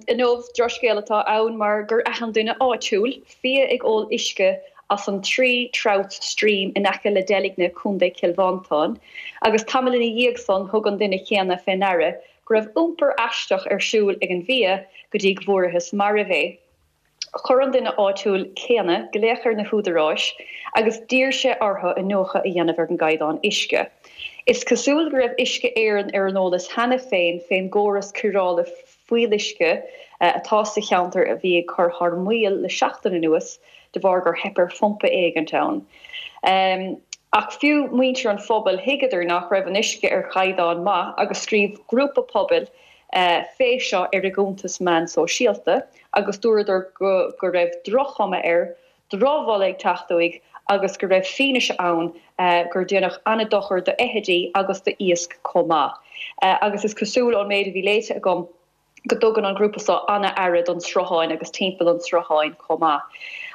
inniu, drochscéal atá ann mar gur aithin duine áitiúil fia ag ól uisce as an Three Trouts Stream in aice le Deilgne, Contae Chill Mhantáin, agus tamall ina dhiaidh san thug an duine céanna fé ndeara go raibh iompar aisteach ar siúl ag an bhfia go dtí go bhfuarathas marbh é. Chuir an duine áitiúil céanna glaoch ar na húdaráis agus d'iarr sé orthu iniúchadh a dhéanamh ar an gcaighdeán uisce. Is cosúil go raibh Uisce Éireann ar an eolas cheana féin fén gcóras cóireála fuíolluisce atá sa cheantar a bhí ag cur thar maoil le seachtain anuas de bharr gur theip ar phumpa éigint ann. Ach fiú muintir an phobail, thuigeadar nach raibh an uisce ar chaighdeán maith agus scríobh grúpa pobail fé seo ar a gcuntas meán sóisialta agus dúradar go go raibh droch-chuma air, drochbholadh ag teacht uaidh agus go raibh fianaise ann gur déanadh an-dochar d'fheithidí agus d'iasc chomh maith. Agus is cosúil ón méid a bhí léite agam, go dtugann an grúpa seo an-aire don sruthán agus timpeall an tsrutháin chomh maith.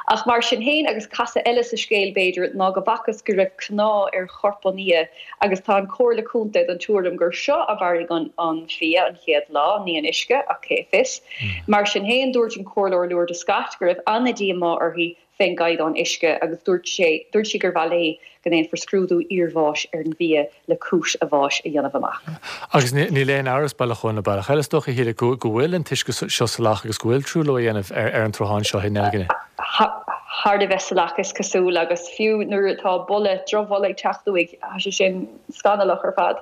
Ach mar sin féin, agus casadh eile sa scéal b'fhéidir, ná go bhfacthas go raibh cnámh ar chorp an fhia agus tá an Chomhairle Contae den tuairim gur seo a mharaigh an fia an chéad lá, ní an uisce, ach cé fios. Mar sin féin, dúirt an Comhairleoir Lourdes Scott go raibh an-díomá uirthi fén gcaighdeán uisce agus dúirt sé, dúirt sí gur mhaith léi go ndéanfar scrúdú iarbháis ar an bhfia le cúis a bháis a dhéanamh amach. Agus níl aon amhras, bealach amháin nó bealach eile, is dócha, a Shíle, go bhfuil an t-uisce seo salach agus go bhfuil truailliú á dhéanamh ar an tsruthán seo i nDeilgne. Thar a bheith salach, is cosúil, agus fiú nuair atá boladh, drochbholadh ag teacht uaidh, tá sé sin scannalach ar fad.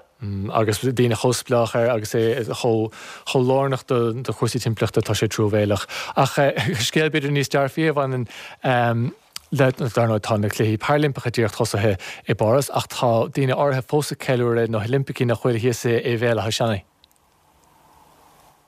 Agus daoine chomh spleách air agus é chomh lárnach do chúrsaí timpeallachta, tá sé truamhéileach. Ach scéal b'fhéidir níos dearfaí a bhaineann le, dar ndóigh, tá na Cluichí Parailimpeacha díreach tosaithe i bPáras ach tá daoine áirithe fós ag ceiliúradh na hOilimpeacha nach bhfuil thíos i Bhéal Átha Seanaidh.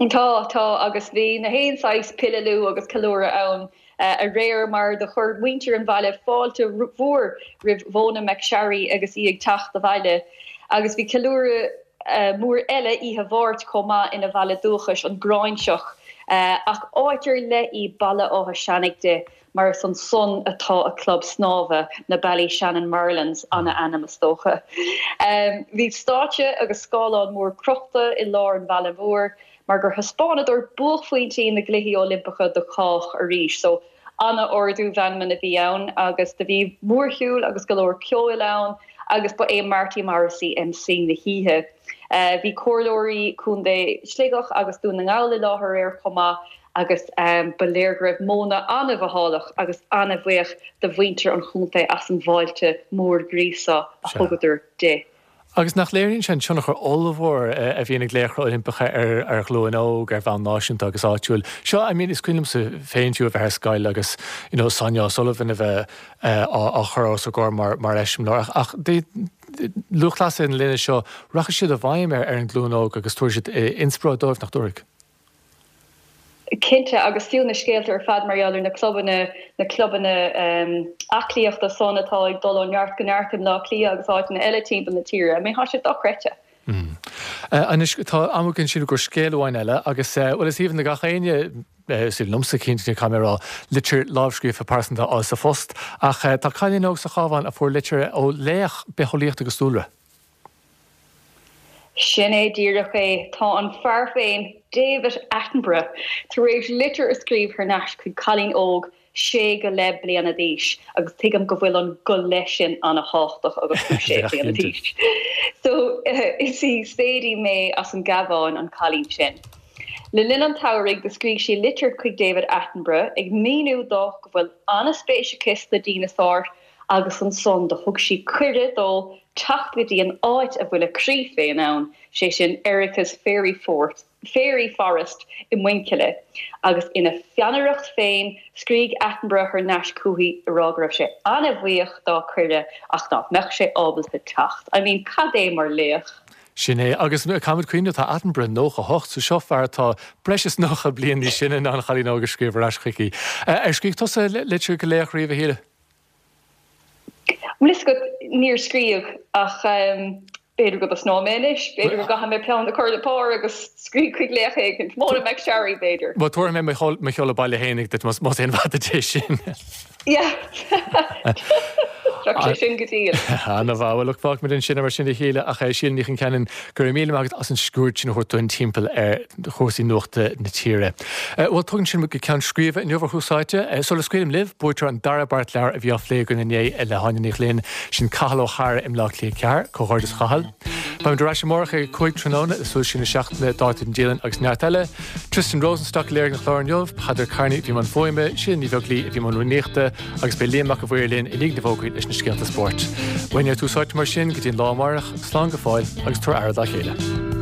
Tá, tá, agus bhí na haon saghas pilleadh agus ceiliúradh ann aréir mar do chuir muintir an bhaile fáilte mhór roimh Mhona McSharry agus í ag teacht abhaile. Agus bhí ceiliúradh mór eile oíche Mháirt chomh maith ina bhaile dúchais, an Ghráinseach. Ach áit ar leith í Baile Átha Seanaidh di mar is ansan atá a club snámha, na Ballyshannon Marlins, ana-ainm is dócha. Bhí stáitse agus scáileán mór crochta i lár an bhaile mhóir mar gur thaispeánadar buaicphointí na gCluichí Oilimpeacha do chách arís. So, ana-ardú meanman a bhí ann agus do bhí mórshiúl agus go leor ceoil ann agus ba é Marty Morrissey MC na hoíche. Bhí comhairleoirí Contae Shligeach agus Dún na nGall i láthair aréir chomh maith agus ba léir go raibh Mona an-mhothálach agus an-bhuíoch de mhuintir an chontae as an bhfáilte mór gríosa a thugadar di. Agus nach léiríonn sé an tionchar ollmhór a bhíonn ag laochra Oilimpeacha ar ar ghlúin óg ar bhonn náisiúnta agus áitiúil. Seo, I mean, is cuimhin liomsa féin fiú a bheith ar scoil agus you know Sonia O'Sullivan a bheith á chur os ár gcomhair mar mar eiseamláir. Ach lúthchleasaithe na linne seo, rachaidh siad i bhfeidhm ar an nglúin óg agus tabharfaidh siad inspioráid dóibh, nach dtabharfaidh? Cinnte, agus fiú na scéalta ar fad mar gheall ar na clubanna, na clubanna aclaíochta san atá ag dul ó neart go neart i mBleá Cliath agus áiteanna eile timpeall na tíre, I mean, tá sé dochreidte. Anois, tá am againn sílim do scéal amháin eile agus, bhuel, is aoibhinn le gach éinne, is aoibhinn liomsa cinnte, caithfidh mé a rá, litir lámhscríofa pearsanta a fháil sa phost. Ach tá cailín óg sa Chabhán a fuair litir ó laoch bitheolaíochta agus dúlra. Sin é díreach é. Tá an fear féin, David Attenborough, tar éis litir a scríobh thar n-ais chuig cailín óg sé go leith bliana d'aois agus tuigim go bhfuil an go leith sin an-thábhachtach agus tú sé bliana d'aois. So is í Sadie May as an gCabhán an cailín sin. Le linn an tsamhraidh do scrígh sí litir chuig David Attenborough ag míniú dó go bhfuil an-spéis aici sna dineasáir agus ansan do thug sí cuireadh dó teacht go dtí an áit a bhfuil a croí féin ann, sé sin Erica's Fairy Fort, Fairy Forest i Muinchille. Agus ina pheannaireacht féin, scrígh Attenborough thar n-ais chuici ag rá go raibh sé an-bhuíoch dá cuireadh ach nach mbeadh sé ábalta teacht. I mean, cad é mar laoch! Sin é. Agus caithfimid cuimhneamh, tá Attenborough nócha hocht, so seo fear atá breis is nócha bliain níos sine ná an chailín óg a scríobh ar ais chuici. Ar scríobh tusa litir go laoch riamh, a Shíle? Bhfuil fhios agat, níor scríobh ach b'fhéidir go dtosnóidh mé anois, b'fhéidir go gcaithfidh mé peann a chur le pár agus scríobh chuig laoch éigin, Mona McSharry b'fhéidir. Bhuel, tabharfaidh mé mo sheoladh baile fhéinig duit más aon mhaith duit é sin. Yeah. Bheadh sé sin go diail. Ana-mhaith. Bhuel, look, fágfaimid ansin mar sin a Shíle ach Síle Ní Chonceanainn, go raibh míle maith agat as an sciuird sin a thabhairt dúinn timpeall ar chúrsaí nuachta na tíre. Bhuel, tugann sin muid go ceann scríbe inniu ar Thús Áite. Sula scaoilim libh, buaiteoir an dara beart leabhar a bhí á phlé againn inné le hÁine Ní Ghlinn, sin Cathal Ó hEára i mBleá Cliath ceathair. Comhghairdeas a Chathail. Beimid ar ais amárach ag a cúig tráthnóna le suas sin na seachtaine, dáta den dialann agus neart eile. Tristan Rosenstock a léirigh an clár inniu, Peadar Kearney a bhí i mbun fuaime, Síle Ní Bheaglaoí a bhí i mbun rúnaíochta agus beidh Liam Mac a' Mhaoir linn i ndiaidh na bhfógraí leis na scéalta spóirt. Uainne ar Tús Áite mar sin go dtí an lá amárach, slán go fóill agus tabhair aire dá chéile.